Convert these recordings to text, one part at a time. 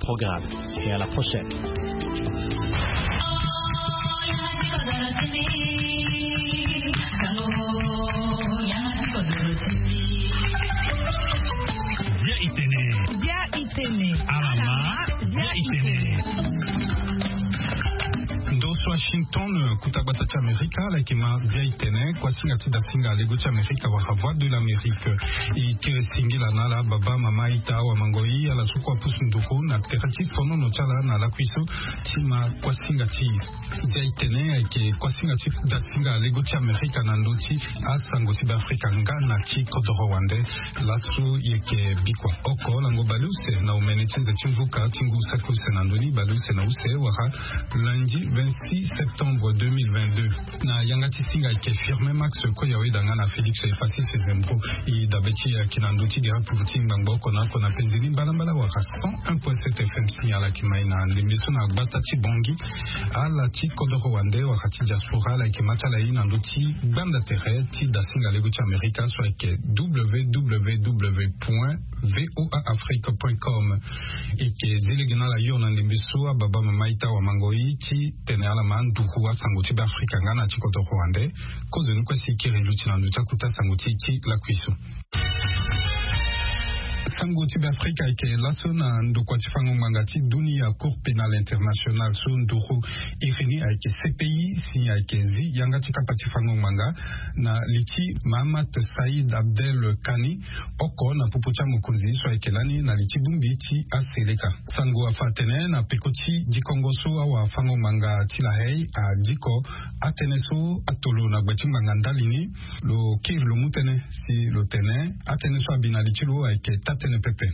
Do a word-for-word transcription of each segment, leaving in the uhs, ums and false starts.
Programme et à la prochaine. Bia itene. Bia itene. Alama. Bia itene. Ndo so Washington, kuta gbata ti Amerika, ala yeke ma Bia itene, kuasinga ti dasinga lego ti Amerika wala Voix de l'Amérique. E kiri singila na ala baba, mama, ita, awa, mango, i, ala so kue apusu nduru na tere ti fonono ti ala na lakui so ti ma kuasinga ti Bia itene, ayeke kuasinga ti dasinga lego ti Amerika na ndö ti asango ti Beafrika nga na ti kodoro wande. Laso e yeke bikua oko lango baleuse na omene ti nze ti mvuka ti ngu saki use na ndö ni, baleuse na use wala lundi vingt-six septembre deux mille vingt-deux. Na yanga ti singa ayeke Firmin Max Koyaweda nga na Félix Efassis Zembro. E dabe ti e ayeke na ndö ti gere pupu ti ngbangbo oko na oko na penze ni mbalambala wala cent un point sept F M. Signal ayeke ma e na ndembe so na gbata ti Bangui. Ala ti kodoro wande wala ti diaspora, ala yeke ma ti ala e na ndö ti gbanda tere ti dasinga lego ti Amerika so ayeke W W W point V O A Afrique point com. E yeke zi lege na ala hio na ndembe so, ababa, mama, ita, awa, mango, i, ti tene ala ma nduru asango ti Beafrika nga na ti kodoro wande. Kozo ni kue si e kiri luti na ndö ti akuta sango ti e ti lakui so. Sango ti Beafrika ayeke laso na ndokua ti fango ngbanga ti dunia, Cour pénale internationale, so nduru iri ni ayeke C P I, si ayeke zi yanga ti kapa ti fango ngbanga na li ti Mahamat Saïd Abdel Kani, oko na popo ti amokonzi so ayeke lani na li ti bongbi ti aseleka. Sango afa atene na peko ti dikongo so awafango-ngbanga ti La Haye adiko atënë so atolo na gbe ti ngbanga ndali ni, lo kiri lo mu tënë si lo tene atënë so abi na li ti lo ayeke taa-tënë pepe.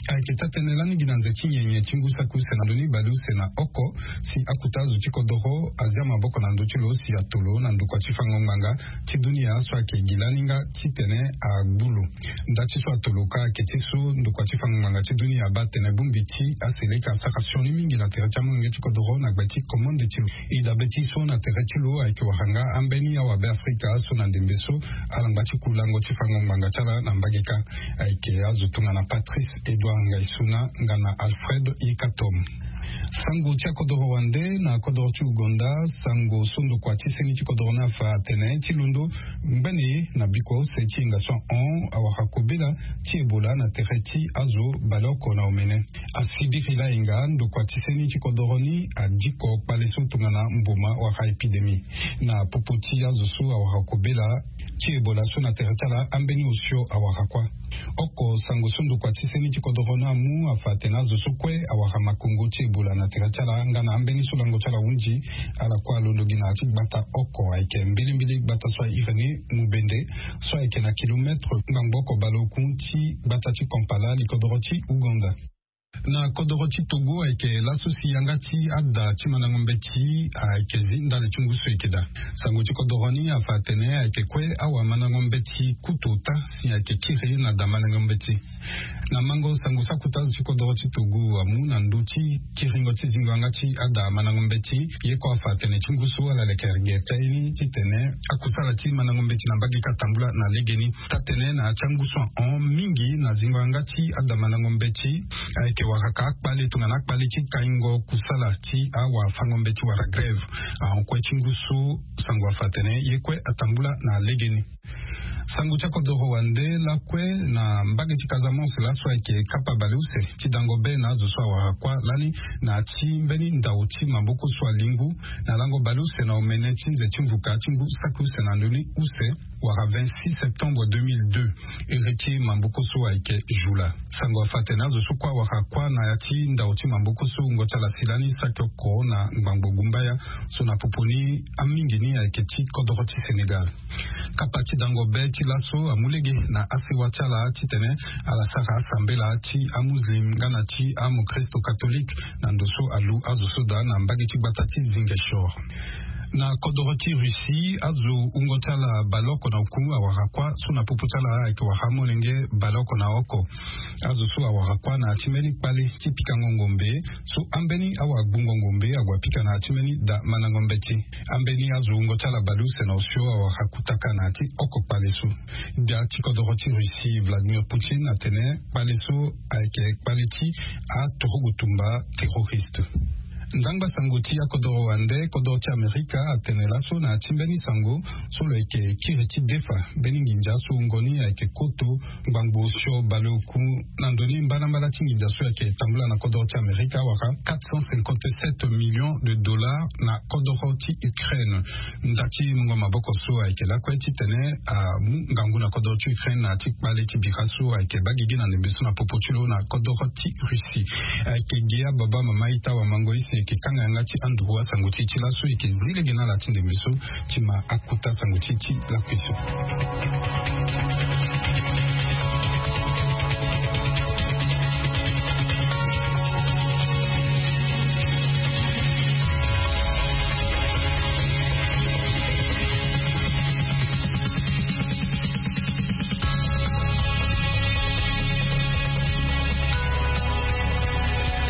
Ayeke taa-tënë lani gi na nze ti nyenye ti ngu saki use na ndö ni baleuse na oko, si akota azo ti kodoro azia maboko na ndö ti lo si atolo na ndokua ti fango-ngbanga ti dunia so ayeke gi lani nga titene agbu lo. Nda ti so atolo ka ayeke ti so ndokua ti fango-ngbanga ti dunia abaa atene bongbi ti aseleka asara sioni mingi na tere ti amolenge ti kodoro na gbe ti komande ti lo. E dabe ti so na tere ti lo ayeke wara nga ambeni awabe afrika so na ndembe so ala ngba ti ku lango ti fango-ngbanga ti ala na mbage kâ. Ayeke azo tongana Patrice Edouard Ngaïsouna nga na Alfred Yekatom. Sango ti akodoro wande na kodoro ti Ouganda, sango so ndokua ti seni ti kodoro ni afa atene ti londo ngbene na bikua use ti hinga so ahon awara kobela ti Ebola na tere ti azo baleoko na omene. Asibiri lahinga ndokua ti seni ti kodoro ni adiko kpale so tongana mboma wala épidémie. Na popo ti azo so awara kobela ti Ebola so na tere ti ala ambeni osio awara kuâ. Oko sango so ndokua ti seni ti kodoro ni amu afa atene azo so kue awara makongo ti Ebola na tere ti ala nga na ambeni so lango ti ala ahunzi, ala kue alondo gi na ya ti gbata oko ayeke mbilimbili gbata so airi ni Mubende, so ayeke na kilometre ngbangbo oko baleoku ti gbata ti Kampala, likodoro ti Ouganda. Na kodoro ti Togo ayeke laso si yanga ti ada ti mandango mbeti ayeke zi ndali ti ngu so e yeke daa. Sango ti kodoro ni afa atene ayeke kue awamandango mbeti kutu ota si ayeke kiri na da mandango mbeti. Na mango sango so akota azo ti kodoro ti Togo amu na ndö ti kiringo ti zingo yanga ti ada mandango mbeti, ye kue afa atene ti ngu so ala leke gere ti aye ni titene akusala ti mandango mbeti na mbage kâ atambula na legeni. Taa-tënë na ya ti angu so ahon mingi na zingo yanga ti ada mandango mbeti ayeke wara ka akpale tongana akpale ti kaingo kusala ti awafango mbeti wala grève. Ahon kue ti ngu so sango afa atene ye kue atambula na legeni. Sango ti akodoro wande lakue na mbage ti Casamance laso ayeke kapa baleuse ti dango be na azo so awara kuâ lani na ya ti mbeni ndao ti maboko so alingbu na lango baleuse na omene ti nze ti mvuka ti ngu saki use na ndö ni use wala vingt-six septembre deux mille deux, iri ti maboko so ayeke Jula. Sango afa atene azo so kue awara kuâ na ya ti ndao ti maboko so wungo ti ala si lani saki oko na ngbangbo gumbaya so na popo ni amingi ni ayeke ti kodoro ti Sénégal. Kapa ti dango be ti laso amu lege na asewa ti ala titene ala sara asambela ti amuslim nga na ti amokristo katolike na ndo so alu azo so daa na mbage ti gbata ti Ziguinchor. Na kodoro ti Russie, azo wungo ti ala baleoko na oku awara kuâ so na popo ti ala ayeke wara amolenge baleoko na oko. Azo so awara kuâ na ya ti mbeni kpale ti pikango ngombe so ambeni awagbungo ngombe ague apika na ya ti mbeni da mandango mbeti. Ambeni azo wungo ti ala baleuse na osio awara kutaka na ya ti oko kpale so. Gbia ti kodoro ti Russie Vladimir Poutine atene kpale so ayeke kpale ti aturugu tumba terroriste. Ndangba sango ti akodoro wande, kodoro ti Amerika atene laso na ya ti mbeni sango so lo yeke kiri ti defa mbeni nginza so wungo ni ayeke koto ngbangbo osio baleoku na ndo ni mbalambala ti nginza so ayeke tambula na kodoro ti Amerika awara quatre cent cinquante-sept millions de dollars na kodoro ti Ukraine. Nda ti mungo maboko so ayeke lakue titene amu ngangu na kodoro ti Ukraine na ya ti kpale ti bira so ayeke baa gigi na ndembe so na popo ti lo na kodoro ti Russie. Ayeke ge ababa mama ita wamango isi eke kanga yanga ti anduru asango ti e ti laso eke zi lege na ala ti ndembe so ti ma akuta sango ti e ti lakui so.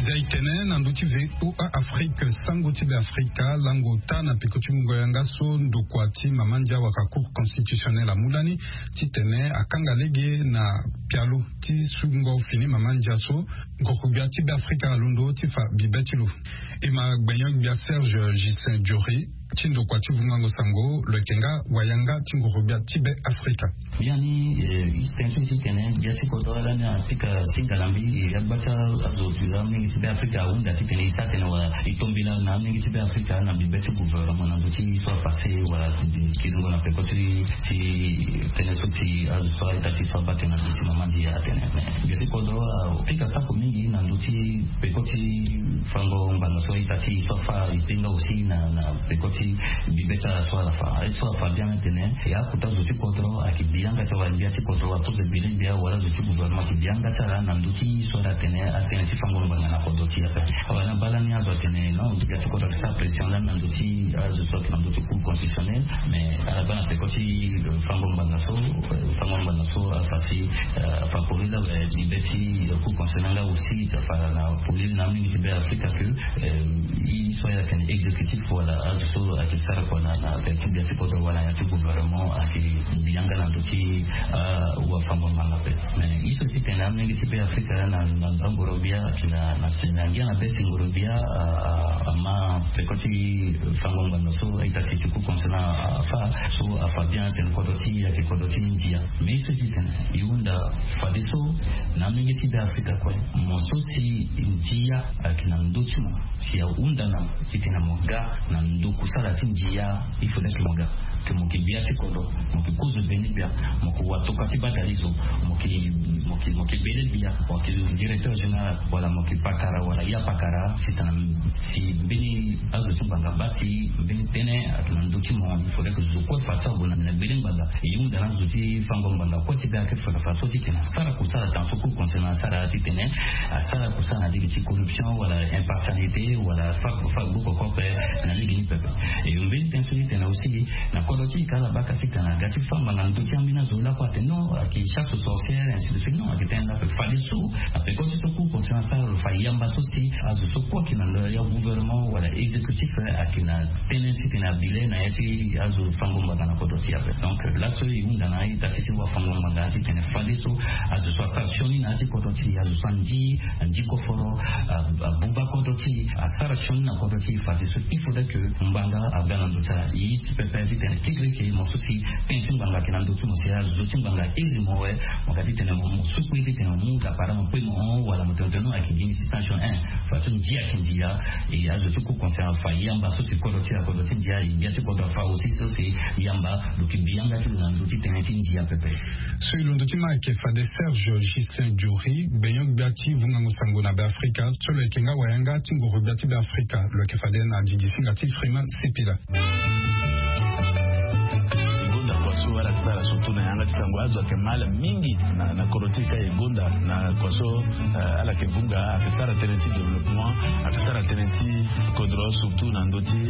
Zia e tene na ndö ti V O A Afrique, sango ti Be Afrika lango ota na peko ti mungo yanga so ndokua ti mama ndia waka Cour constitutionnelle amu lani titene akanga lege na pialo ti sungo fini mama ndia so nguru gbia ti Be Afrika alondo ti fa bibe ti lo. E ma gbenyo-gbia Serge Justin Diori ti ndokua ti vungango sango lo yeke nga wayanga ti nguru gbia ti Be Afrika. Biani, eh, e tene so e tene gbia ti kodro lani apika singa na mbi, eh, agba ti azo ti amingi ti Be Afrika ahunda titene e sara tene wala e tombela na amingi ti Be Afrika na mbi be ti gouvernement na ndö ti so apassé wala kiringo na peko ti, ti tënë so ti azo so a-ita ti so abaa tënë na ndö ti mama ndia atene. Mais gbia ti kodro apika sako mingi na ndö ti peko ti fango ngbanga so a-ita ti so afa e te nga aussi na, na peko ti bibe ti ala so ala fa. A-ita so afa biani atene e akota zo ti kodro ayeke bi yanga ti ala, gbia ti kodro apoze gbele gbia wala zo ti gouvernement ayeke bi yanga ti ala na ndö ti so ala tene atënë ti fango ngbanga na kodro ti e ape. Awa na baa lani azo atene non, gbia ti kodro ayeke sara pression lani na ndö ti azo so ayeke na ndö ti Cour constitutionnelle. Mais ala baa na peko ti, euh, fango ngbanga so, euh, fango ngbanga so afa si, euh, afa pori laa, euh, bibe ti, euh, Cour constitutionnelle nga aussi afa na poli na mingi ti Be Afrika que, euh, e so ayeke na exécutif wala azo so ayeke sara kua na, na peko ti gbia ti kodro wala na ya ti gouvernement ayeke bi yanga na ndö ti, euh, wafango ngbanga ape. Mais e so si tene amelenge ti Be Afrika na, na, na ngoro gbia ayeke na, na, na ngia na be si ngoro gbia, euh, euh, ama peko ti, euh, fango ngbanga so a-ita ti ti Cour constitutionnelle afa, so afa bien atene kodro ti e ayeke kodro ti ndia. Mais e so ti tene e hunda fadeso na amelenge ti Be Afrika kue, mo so si ndia ayeke na ndö ti mo, si ahunda na mo titene mo ga na ndo kusala ti ndia, il faudrait que mo ga, que mo yeke gbia ti kodro, mo yeke kozo gbeni gbia, mo yeke watokua ti badalizo, mo yeke, mo yeke, mo yeke gbele gbia, mo yeke directeur général, wala mo yeke pakara wala ya pakara, si tana si mbeni azo ti ngbanga baa si mbeni tënë ayeke na ndö ti mo, il faudrait que zo kue fa ti ague na gbele ngbanga. E hunda na azo ti fango ngbanga kue ti Be Afrika fa so ti tene asara kusala tana so Cour constitutionnelle asara titene asara kusala na lege ti corruption wala impartialité wala fa, fa gbu koko ape na lege ni pepe. E mbeni tënë so ti tene aussi na kodro ti e ka ala baka si tene aga ti fa ngbanga na ndö ti ambeni azo lakue atene non, ayeke chasse aux sorcières, ainsi de suite. Non, ayeke tënë ni ape fadeso na peko ti so Cour constitutionnelle asara lo fa yamba so si azo so kue ayeke na ndö ya gouvernement wala exécutif, eh, ayeke na tënë ti tene abi le na ya ti azo fango ngbanga na kodro ti e ape. Donc, euh, laso e hunda na a-ita ti ti wafango ngbanga ti tene fadeso azo so asara sioni na ya ti kodro ti e, azo so andi, andi koforo, a, abuba kodro ti e, asara sioni na kodro ti e fadeso il faudrait que ngbanga aga na ndö ti ala. E zi pepe ti tene kekereke mo so si tënë ti ngbanga ayeke na ndö ti mo si azo ti ngbanga airi mo awe, mo ga ti tene mo, mo sukui ti tene mo mu dapara mo pe mo hon wala mo tene tene non ayeke gi ni ti sanction, hein. Fadeso ndia ayeke ndia. E azo ti Cour constitutionnelle afa yamba so si kodro ti ala kodro ti ndia, e gbia ti kodro afa aussi so si yamba lo yeke bi yanga ti lo na ndö ti tënë ti ndia pepe. So e londo ti ma ayeke fade Serge Justin Diori, gbenyo-gbia ti vungango sango na Be Afrika, so lo yeke nga wayanga ti nguru gbia ti Be Afrika, lo yeke fade na didi singa ti Freeman Sipila. Gonda kua so ala ti Ala surtout na yanga ti sango azo ayeke mal mingi na kodro ti e ka e gonda na kua so. Ala yeke vunga ayeke sara tënë ti développement, ayeke sara tënë ti kodro surtout na ndö ti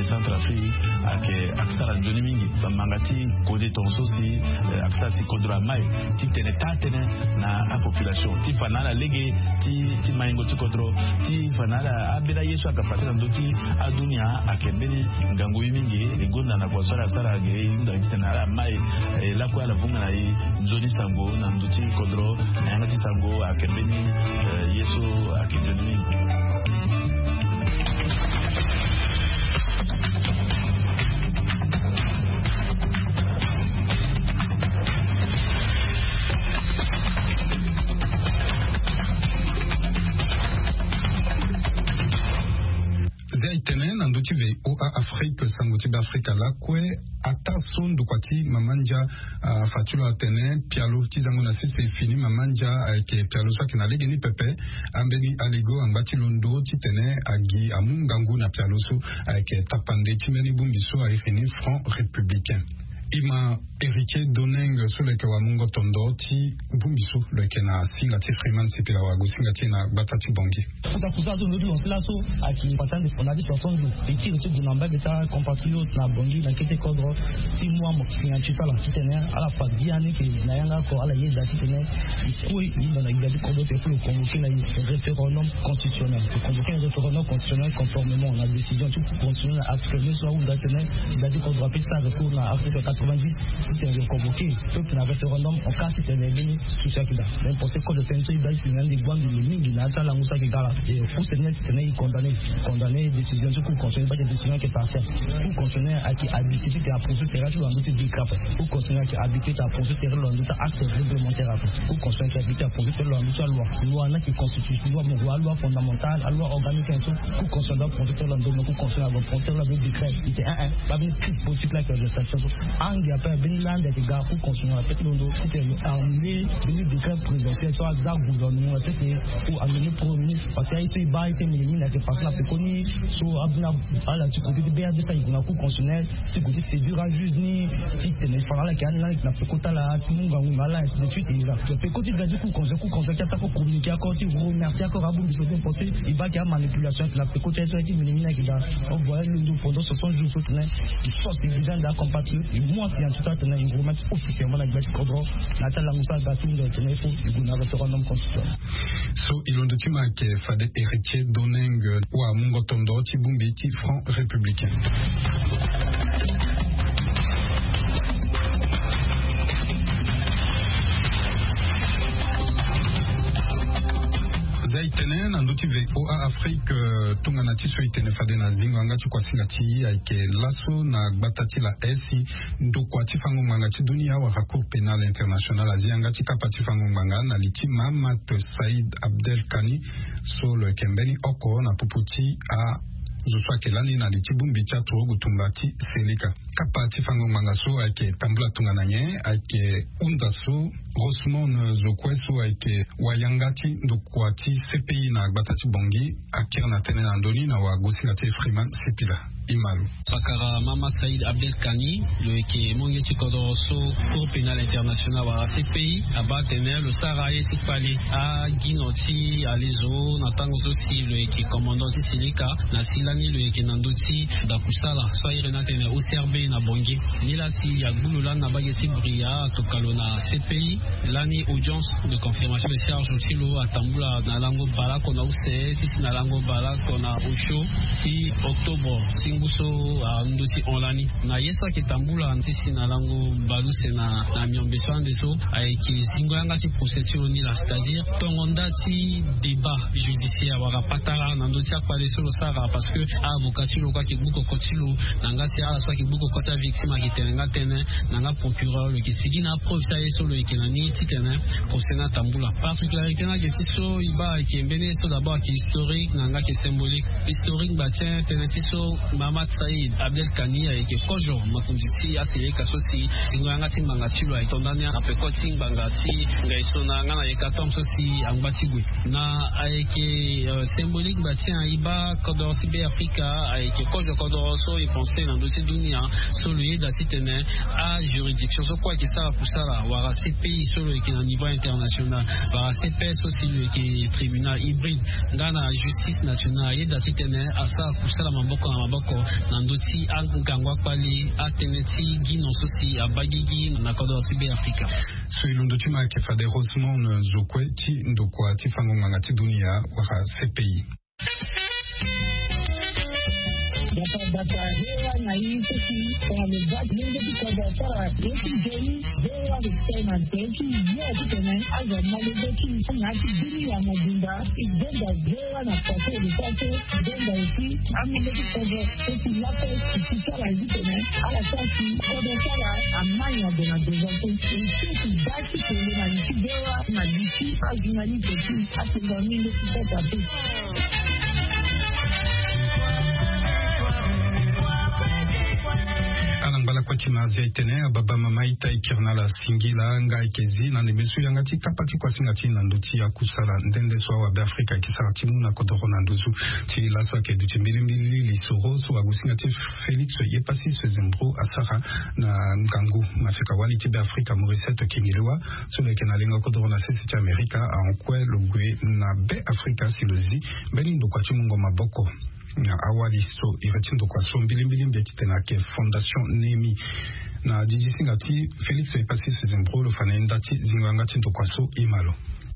centre afrique. Ayeke sara nzoni mingi bamanga ti kode tonga so si ayeke sara si kodro amai ti tene taa tënë na apopulation ti fa na ala lege ti maingo ti kodro ti fa na ala ambeni aye so ayeke pase na ndö ti adunia. Ayeke mbeni ngangu ye mingi e gonda na kua so ala sara ge e hunda titene ala mai e lakue ala vunga na e nzoni sango na ndö ti kodro. Na yanga ti sango ayeke mbeni ye so ayeke nzoni mingi. Zia e tene na ndö ti voa afrique sango ti beafrika lakue. Ataa so ndokua ti mama ndia afa ti lo atene pialo ti zango na sese e fini mama ndia ayeke pialo so ayeke na legeni pepe. Ambeni aligo angba ti londo titene agi amu ngangu na pialo so ayeke tapande ti mbeni bongbi so airi ni franc républicain. E ma héritier doneng so lo yeke wamungo tondo ti bongbi so lo yeke na singa ti freeman sipila wago singa ti e na gbata ti bongi. Kota kusala so ndo ti lanse laso ayeke pasa ande fona ti soixante jours e kiri ti gue na mbage ti acompatriote na bongi na kete kodro ti mu amo singa ti sala titene ala fa biani ke na yanga oko ala yeda titene e kue e yinda na gbia ti kodro te fo lo convoke na e référendum constitutionnel. Lo convoke na référendum constitutionnel conformément na décision ti constitutionnel na article neuf so ahunda titene gbia ti kodro ape ti sara recours na article quatre-vingt-dix. Titene lo convoke peuple na référendum en cas titene mbeni souci ayeke daa. Mais procès code de tene so e baa titene ande gbangbi lo mingi na ya ti alango so ayeke ga la. E use ni titene e condamné condamné décision ti cour constitutionnel e baa titene décision ayeke partielle. Cour constitutionnel ayeke habité titene aproduit tere ti lo na ndö ti décret ape. Cour constitutionnel ayeke habité titene aproduit tere ti lo na ndö ti acte réglementaire ape. Cour constitutionnel ayeke habité aproduit tere ti lo na ndö ti aloi. Loi ni ayeke constitution loi mo loi loi fondamentale aloi organique so. Cour constitutionnel doit produit tere ti lo na ndö ti cour constitutionnel ague produit tere ti lo na ndö ti décret. Ite un un baa mbeni crise politique la ayeke na gestation so. Ange ape mbeni lande ayeke ga cour constitutionnel ape ti londo titene lo annulé mbeni décret présidentiel so aza gouvernement na sese. Ou annulé premier ministre parce que aye so e baa aye ti mingi mingi ayeke façon na pekoni so abina ala ti côté ti bea de so ayeke na cour constitutionnel ti gue ti séduire ajuge ni titene e fa na ala yeke ani na ala yeke na peko ti ala ti mu ngangu na ala ainsi de suite e za. Peko ti ga ti cour constitutionnel cour constitutionnel ti asara kue communiqué akor ti remercier akor abongbi so ti pensé e baa ayeke amanipulation ayeke na peko ti aye so aye ti mingi mingi ayeke ga. On voyait londo pendant soixante jours so tene e force e besoin de acompatriote e mu asinga ti so atene e remettre officiellement na gbia ti kodro na ya ti alango so aga ti hunde tene il faut e gue na référendum constitutionnel. So e londo ti ma ayeke fade héritier doneng wamungo tondo ti bongbi ti franc républicain. Za e tene na ndö ti voa afrique tongana ti so e tene fade na zingo yanga ti kuasinga ti e ayeke laso na gbata ti la esi ndokua ti fango ngbanga ti dunia wala cour pénal international azi yanga ti kapa ti fango ngbanga na li ti mahamat said abdel kani so lo yeke mbeni oko na popo ti azo so ayeke lani na li ti bongbi ti aturugu tumba ti seleka. Kapa ti fango ngbanga so ayeke tambula tongana nyen ayeke hunda so rosmon zo kue so ayeke wayanga ti ndokua ti cpi na gbata ti bongi akiri na tënë na ndö ni na wagosinga ti freeman sipila. Imalo. Pakara mahamat said abdel kani lo yeke monge ti kodoro so cour pénal international wala cpi abaa atene lo sara aye ti kpale agino ti alezo na tango so si lo yeke commandant ti silika na si lani lo yeke na ndö ti dakusala so airi ni atene ocrb na bongi. Nilaa si agbu lo lani na bage ti bria atoka lo na cpi. Lani audience de confirmation de charge ti lo atambula na lango baleoko na use ti si na lango baleoko na osio ti octobre ti ngu so ando ti hon lani. Na ye so ayeke tambula ti si na lango baleuse na miombe so ande so ayeke zingo yanga ti procès ti lo ni laa c'est-à-dire tongo nda ti débat judiciaire wala patara na ndö ti akpale so lo sara parce que avocat ti lo kue ayeke gbu koko ti lo na nga si ala so ayeke gbu koko ti avictime ayeke tene nga tënë na nga procureur lo yeke sigi na apreuve ti aye so lo yeke na Ni titene procès ni atambula. Particularité ni ayeke ti so e baa ayeke mbeni ye so d'abord ayeke historique na yanga ayeke symbolique. Historique ngba ti en tënë ti so Mahamat Saïd Abdel Kani ayeke kozo mokonzi ti aseyeka so si zingo yanga ti ngbanga ti lo ayeke to ndani na peko ti ngbanga ti ngaisona nga na yekatombe so si angba ti gue. Na ayeke symbolique ngba ti en e baa kodoro ti Be Afrika ayeke kozo kodoro so e pense na ndö ti dunia so lo yeda titene ajuridiction so kue ayeke sara kusala wala C P I so lo yeke na niveau international wala C P S so si lo yeke tribunal hybride nga na justice nationale ayeda titene asara kusala maboko na maboko na ndö ti angangu akpali atënë ti gi non so si abaa gigi na kodoro ti Be Afrika. So e londo ti ma ayeke fade Rosemond Zokwe ti ndokua ti fango ngbanga ti dunia wala C P I. Bata bata hewa na ye so si tongana lo baa ti lenge ti kodro asara ye ti nzoni. Hewa lo tene na nze ti yo titene azo amolenge ti na ya ti dunia mobimba. E donda hewa na pase lo sara so e donda aussi amolenge ti kodro so si lape e si sara ye titene ala sara si kodro ti ala amai na gue na devant so e si e si baa ti kele na li ti hewa na li ti ajournaliste ti atonga mingi ti kota te. Ala ngba lakue ti ma azi aye tene ababa mama ita e kiri na ala singila nga ayeke zi na ndembe so yanga ti kapa ti kuasinga ti na ndö ti akusala nde nde so awabe afrika ayeke sara ti mu na kodoro na nduzu. Ti laso ayeke duti mbilimbili lisoro so ague singa ti Félix Yepasi Sezembro asara na ngangu maseka wali ti Be Afrika Morisset Kingelewa so lo yeke na lengo kodoro na sese ti Amerika ahon kue lo gue na Be Afrika si lo zi mbeni ndokua ti mungo maboko na awali so iri ti ndokua so mbilimbili mbi titene ayeke Fondation Nemi. Na didi singa ti Félix Yepasi Sezembro lo fa na ye nda ti zingo yanga ti ndokua so e ma lo.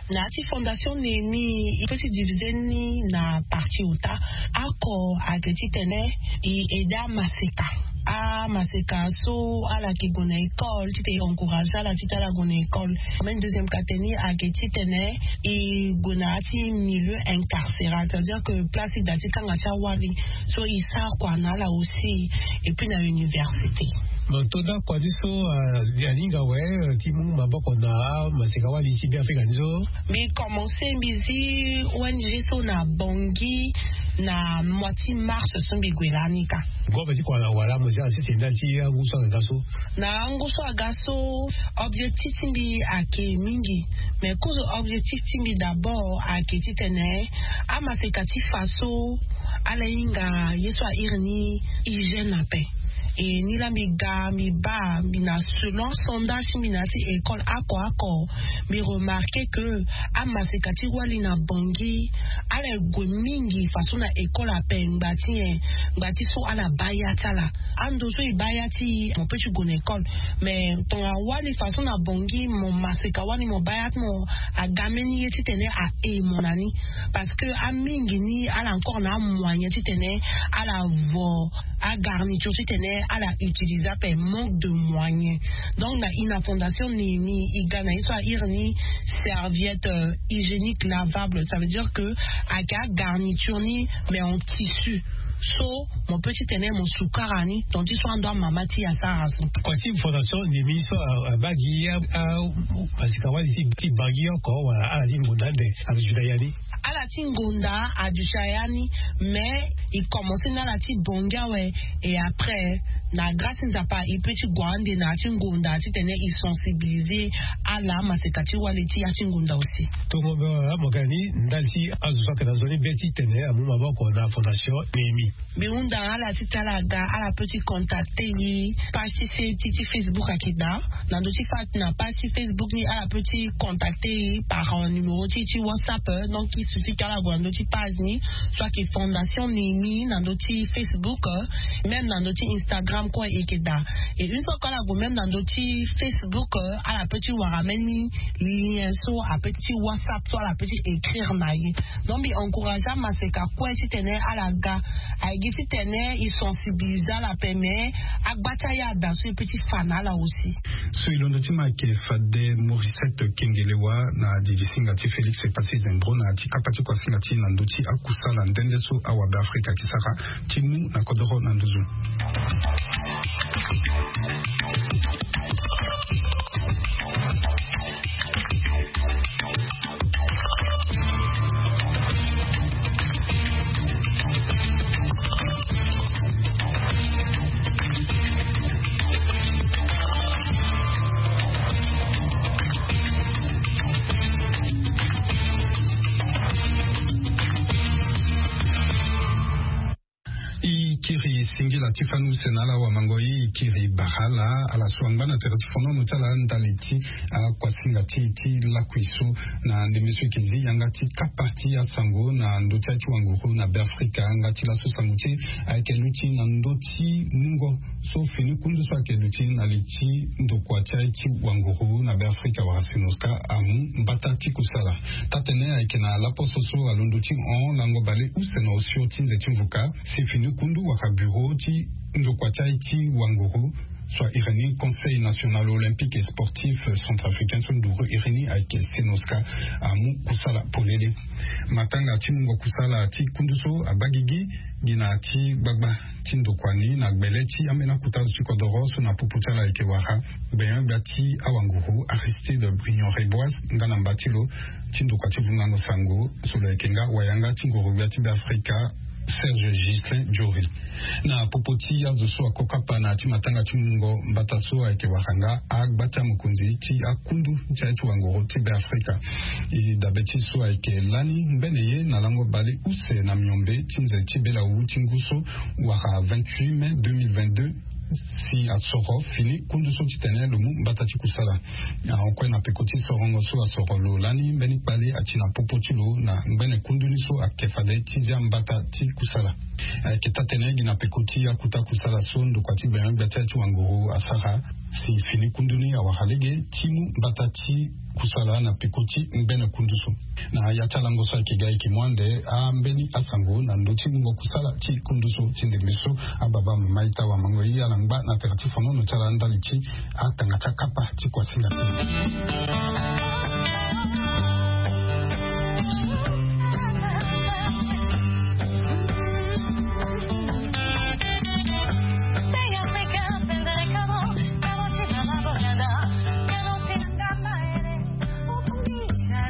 Na ya ti Fondation Nemi e peut ti divise ni na partie ota. Oko ayeke titene e aide amaseka. Amaseka so ala yeke gue na école titene e encourage ala titene ala gue na école. Même deuxième kate ni ayeke titene e gue na ya ti milieu incarcéral, c'est à dire que place ti da ti kanga ti awali so e sara kua na ala aussi. Et puis na université. Mo to da kua ti so alinga awe ti mu maboko na amaseka wali ti Be Afrika ni so. Mbi commencé mbi zi O N G so na Bangui na mois ti mars so mbi gue lani ka. Ngombe ti kua na wala mo zi asese ndali ti angu so aga so. Na angu so aga so objectif ti mbi ayeke mingi. Mais kozo objectif ti mbi d'abord ayeke titene amaseka ti fa so ala hinga ye so airi ni hygiène ape. E ni laa mbi ga mbi baa mbi na selon sondage ti mbi na ya ti école oko oko. Mbi remarqué que amaseka ti wali na Bangui ala gue mingi façon na école ape ngba ti nyen? Ngba ti so ala baa ya ti ala. Ando so e baa ya ti e mo peut ti gue na école. Mais tongana wali façon na Bangui mo maseka wali mo baa ya ti mo aga mbeni ye titene ahe mo na ni. Parce que amingi ni ala encore na amoyen titene ala vo agarniture titene ala utiliser ape manque de moyen. Donc na ina Fondation Nemi e ga na ye so airi ni serviette hygiénique lavable, ça veut dire que ayeke agarniture ni mais en tissu. So mo peut titene mo sukara ni donc ti so ando amama ti e asara so. Kua ti Fondation Nemi so abaa gi amaseka wali ti Bangui oko wala ala ti ngonda ande azo juda ya ni? Ala ti ngonda aduti aya ni. Mais e commencé na ala ti Bangui awe. Et après na grâce ti Nzapa e peut ti gue ande na ya ti ngonda titene e sensibiliser ala amaseka ti wali ti ya ti ngonda aussi. Tongo be wala mo ga ni ndali ti azo so ayeke na nzoni be titene amu maboko na Fondation Nemi. Mbi hunda ala ti tene ala ga ala peut ti contacter e. Page ti se ti ti Facebook ayeke daa. Na ndö ti fa na page ti Facebook ni ala peut ti contacter e par numéro ti ti WhatsApp. Donc e suffit que ala gue na ndö ti page ni so ayeke Fondation Nemi na ndö ti Facebook. Même na ndö ti Instagram kue e yeke daa. Et une fois que ala gue même na ndö ti Facebook ala peut ti wara même ni lien so apeut ti WhatsApp so ala peut ti écrire na ye. Donc mbi encourager amaseka kue titene ala ga. Aye gi titene e sensibiliser ala ape mais agba ti aya ada so e peut ti fa na ala aussi. So e londo ti ma ayeke fade Morisset Kengelewa na didisinga ti Félix Epassi Zembro na ya ti kapa ti kuasinga ti na ndö ti akusala nde nde so awabe Afrika ayeke sara ti mu na kodoro na nduzu. E kiri singila ti fani use na ala wamango. E kiri bara ala ala so angba na tere ti fonono ti ala ndali ti akuasinga ti e ti lakui so. Na ndembe so e yeke zi yanga ti kapa ti asango na ndö ti aye ti wanguru na Beafrika nga ti laso sango ti e ayeke luti na ndö ti mungo so fini kundu so ayeke luti na li ti ndokua ti aye ti wanguru na Beafrika wala Sinosca amu mbata ti kusala. Taa-tene ayeke na laposo so alondo ti hon lango baleuse na osio ti nze ti mvuka si fini kundu wala bureau ti ndokua ti aye ti wanguru so a iri ni Conseil National Olympique et Sportif Centrafricain so nduru iri ni ayeke Sinosca amu kusala polele. Matanga ti mungo kusala ti kundu so abaa gigi gi na ya ti gbagba ti ndokua ni na gbele ti ambeni akota zo ti kodoro so na popo ti ala ayeke wara gbenyo-gbia ti awanguru Aristide Brignor-Reboise nga na mba ti lo ti ndokua ti vungango sango so lo yeke nga wayanga ti nguru-gbia ti Beafrika Serge Ghislain Jory. Na popo ti azo so ako kapa na ya ti matanga ti mungo mbata so ayeke wara nga agba ti amokonzi ti akundu ti aye ti wanguru ti Beafrika. E dabe ti so ayeke lani ngbene ye na lango baleuse na miombe ti nze ti belawu ti ngu so wara vingt-huit mai deux mille vingt-deux si asoro fini kundu so titene lo mu mbata ti kusala. Ahon kue na peko ti sorongo so asoro lo lani mbeni kpale ati na popo ti lo na ngbene kundu ni so ayeke fade ti zia mbata ti kusala. Ayeke taa-tene gi na peko ti akuta kusala so ndokua ti gbenyo-gbia ti aye ti wanguru asara si fini kundu ni awara lege ti mu mbata ti kusala na peko ti ngbene kundu so. Na ya ti alango so ayeke ga ayeke mu ande ambeni asango na ndö ti mungo kusala ti kundu so ti ndembe so. Ababa mama ita wamango ye ala ngba na tere ti fonono ti ala ndali ti atanga ti akapa ti kuasinga ti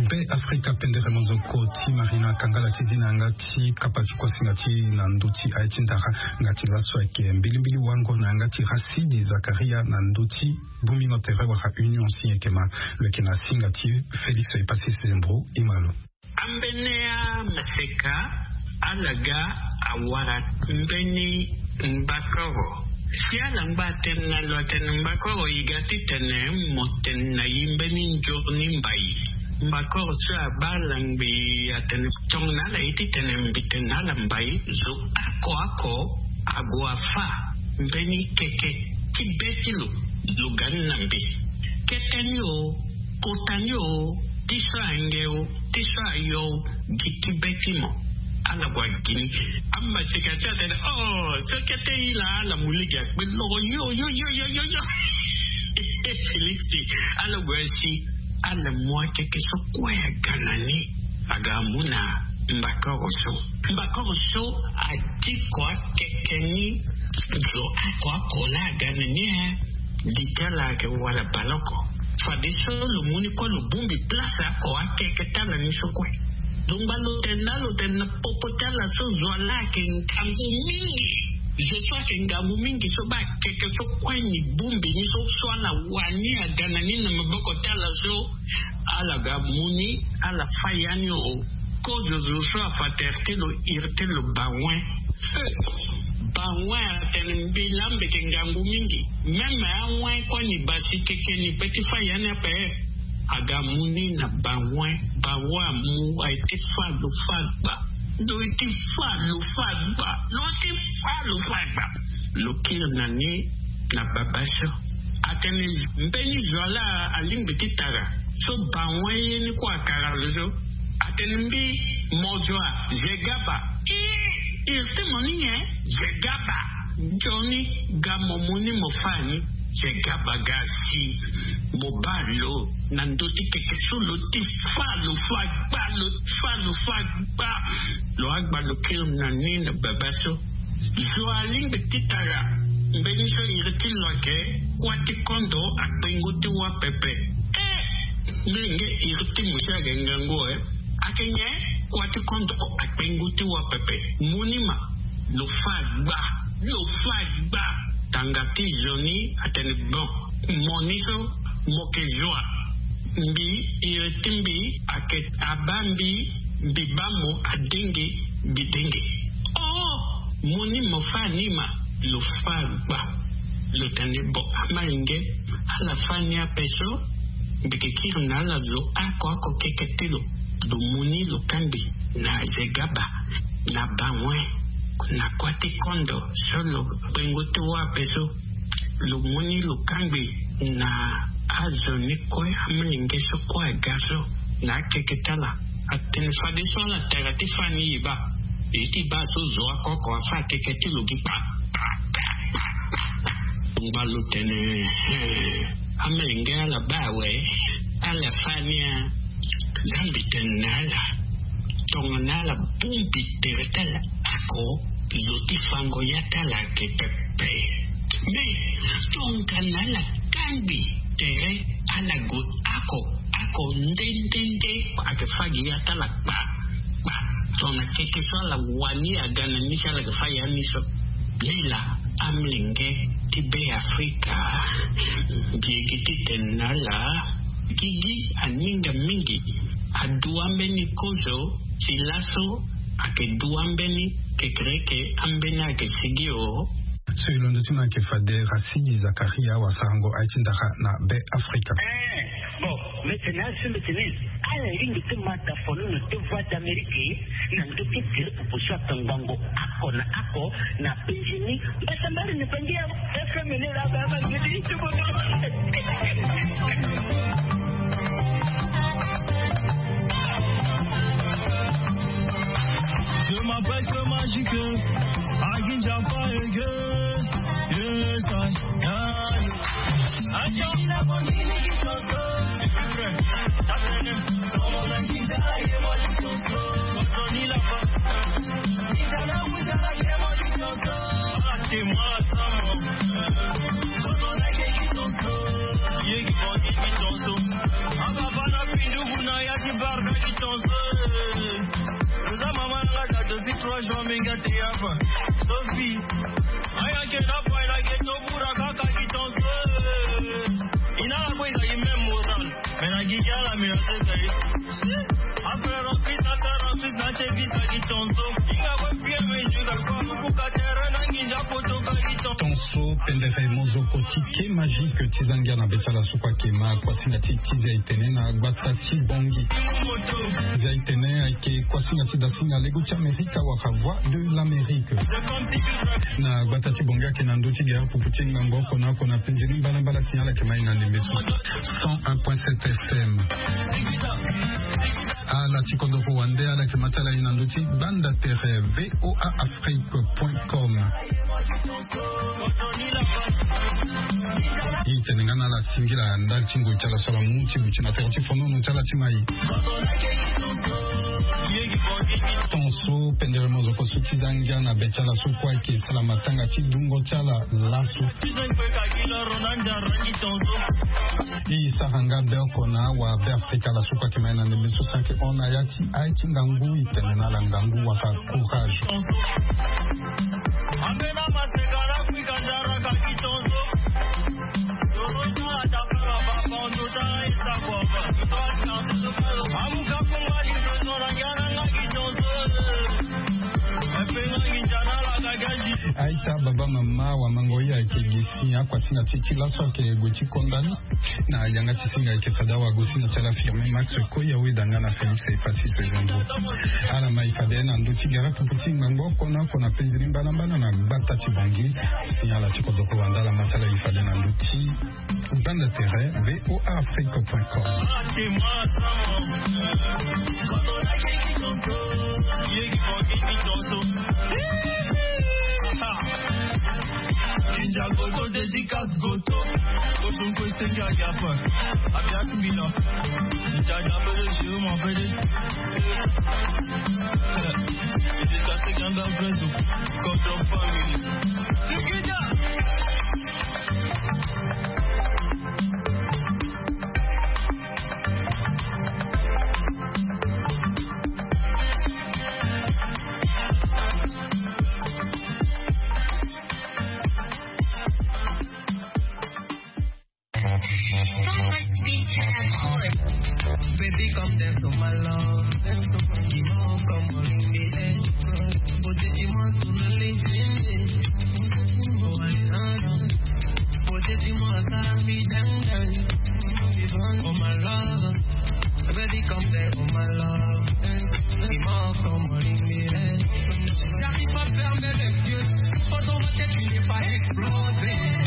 Be Afrika pendere mozoko ti Marina Kangala ti zi na yanga ti kapa ti kuasinga ti na ndö ti aye ti ndara. Nga ti laso ayeke mbilimbili wango na yanga ti Rasidi Zakaria na ndö ti bongbingo tere wala Union si ayeke ma lo yeke na singa ti Félix Epassi Sembro. Imalo. Ambeni amaseka ala ga awara mbeni mbakoro. Si ala ngba atene na lo atene mbakoro e ga titene mo tene na e mbeni nzoni mbai. Mbakoro so abaa ala ngbii atene tongana ala ye titene mbi tene na ala mbai zo oko oko ague afâ mbeni keke ti be ti lo. Lo ga ni na mbi kete ni o kota ni o ti so ange o ti so ayo o gi ti be ti mo. Ala gue agi ni. Amaseka ti atene oh so kete e laa ala mu lege akpe loro yo yo yo yo yo yo. Félix ala gue asi ala mu akeke so kue aga na ni. Aga amu na mbakoro so mbakoro so adiko akeke ni. Zo oko oko laa aga na ni e. Li ti ala ayeke wala baleoko. Fadeso lo mu ni kue lo bongbi place oko akeke ti ala ni so kue. Lo ngba lo tene na lo tene na popo ti ala so zo ala ayeke ngangu mingi. Zo so ayeke ngangu mingi so baa akeke so kue ni bongbi ni so so ala wani aga na ni na maboko ti ala so. Ala ga mu ni ala fâ ya ni o. Kozo zo so afa tere ti lo iri ti lo bawen. Bawen atene mbi laa mbi yeke ngangu mingi. Meme awen kue ni basi keke ni pe ti fâ ya ni ape. Aga mu ni na bawen. Bawen amu aye ti fâ lo fâ gba. Lo ye ti fâ lo fâ gba. Lo ye ti fâ lo fâ gba. Lo kiri na ni na baba so. Atene mbeni zo ala alingbi ti tara so bawen ye ni kue atara lo so. Atene mbi mo zo a? Je gaba. Ii iri ti mo ni nyen? Je gaba. Nzoni ga mo mu ni mo fâ ni. Je gaba ga si mo baa lo na ndö ti keke so lo ti fâ lo fâ gba lo fâ lo fâ gba. Lo agba lo kiri na ni na baba so. Zo alingbi ti tara. Mbeni so iri ti lo ayeke kuâ ti kondo akpengo ti wâ pepe. Eh, mbi nge iri ti mo si ayeke ngangu eh. Ayeke nyen? Kuâ ti kondo akpengo ti wâ pepe. Mo ni ma, lo fâ gba, lo fâ gba. Tanga ti zo ni atene bon, mo ni so mo yeke zo wa? Mbi, iri ti mbi ayeke abaa mbi, mbi baa mo, adenge, mbi denge. Oh, mo ni mo fâ ni ma, lo fâ gba. Lo tene bon, amolenge, ala fâ ni ape so, mbi yeke kiri na ala zo oko oko keke ti lo. Lo mu ni lo kangbi na zegaba, na bawen, na kuâ ti kondo so lo kpengo ti wâ ape so. Lo mu ni lo kangbi na azo ni kue, amolenge so kue aga so, na akeke ti ala. Atene fadeso ala tara ti fâ ni, e baa, e ti baa so zo oko oko afâ akeke ti lo gi kpa. Ngba lo tene, eh, amolenge, ala baa awe, ala fâ ni a. Nzambi tene na ala, tongana ala bongbi tere ti ala oko, zo ti fango ya ti ala ayeke pepe. Me tongana ala kangbi tere, ala gue oko oko nde nde nde, ayeke fâ gi ya ti ala kpa kpa. Tongana keke so ala wani aga na ni si, ala yeke fâ ya ni so. Lila, amolenge ti Be Afrika, mbi yeke titene na ala, gigi aninga mingi. Adua mbeni kozo ti laso, ayeke dua mbeni kekereke, ambeni ayeke sigi o. So e londo ti ma ayeke fade Racine Zakaria, wasarango aye ti ndara na Be Afrika. Eh, bon, mbi tene asi, mbi tene, ala lingbi ti ma da fono na deux voix d'Amérique, na ndö ti tere popo so atongbango oko na oko na penzi ni. Mbasambari ni pangi ya F M ni la ba ba ngedi ti bono. Je m'appelle Feu Magique, Aginja Paege. Yes, I, yeah. Trois jours, minga te yaba. Sophie. Aya ke na boy na ghetto, bura kaka ki tonso. Ina la boy za même moral. Mais na gigi ala, mais na se. Après, remplis, ça, ça, remplis, na che visa ki tonso. Inga boy, bien, mais je vais pas pour ka terrain, na nginja poto ka ki tonso. Tonso pendere mozoko ti ke magique ti za ngia na be ti ala so kue ayeke ma kuasinga ti ti zia itene na gbata ti Bangui. Zia itene ayeke kuasinga ti da singa lego ti Amerika wala Voix de l'Amérique. Na gbata ti Bangui ayeke na ndö ti gere pupu ti ngangu oko na oko na penzi ni mbalambala, signal ayeke ma e na ndembe so. Cent un point sept F M. Ala ti kodoro wande, ala yeke ma ti ala e na ndö ti gbanda tere V O A Afrique point com. E tene nga na ala singila ndali ti ngoi ti ala so ala mu ti buti na tere ti fonono ti ala ti mai. Tonso pendere mozoko so ti za ngia na be ti ala so kue ayeke sala matanga ti dungo ti ala laso. E sara nga be oko na awa Be Afrika, ala so kue ayeke ma e na ndembe so si ayeke hon na ya ti aye ti ngangu, e tene na ala ngangu wala courage. Aita, baba, mama, wamango, ye ayeke gi si akuasinga ti ti laso ayeke gue ti konda ni. Na yanga ti singa ayeke fade awagosinga ti ala Firmin Max Koya, weda nga na Félix Epassi Sejandro. Ala ma e fade na ndö ti gere pupu ti ngangu oko na oko na penzi ni mbalambala na gbata ti Bangui. Si ala ti kodoro wande, ala ma ti ala e fade na ndö ti gbanda tere V O A Afrique point com. Dédicace Goto. Ocean Quest, Yagiapa. Abiak Bila. Jada Bele, Jérôme Abele. Jusqu'à ce qu'il y a un vrai. Goto family. Sekida. Baby, come dance to my love. Dance to my love. Come on, ring the end. Put it in my to the link. Oh, I love. Put it in my side, be done, done. Oh, my love. Baby, come there, oh, my love. Come on, ring the end. J'arrive pas à fermer les yeux. Faut dans ma tête, il n'est pas explosé.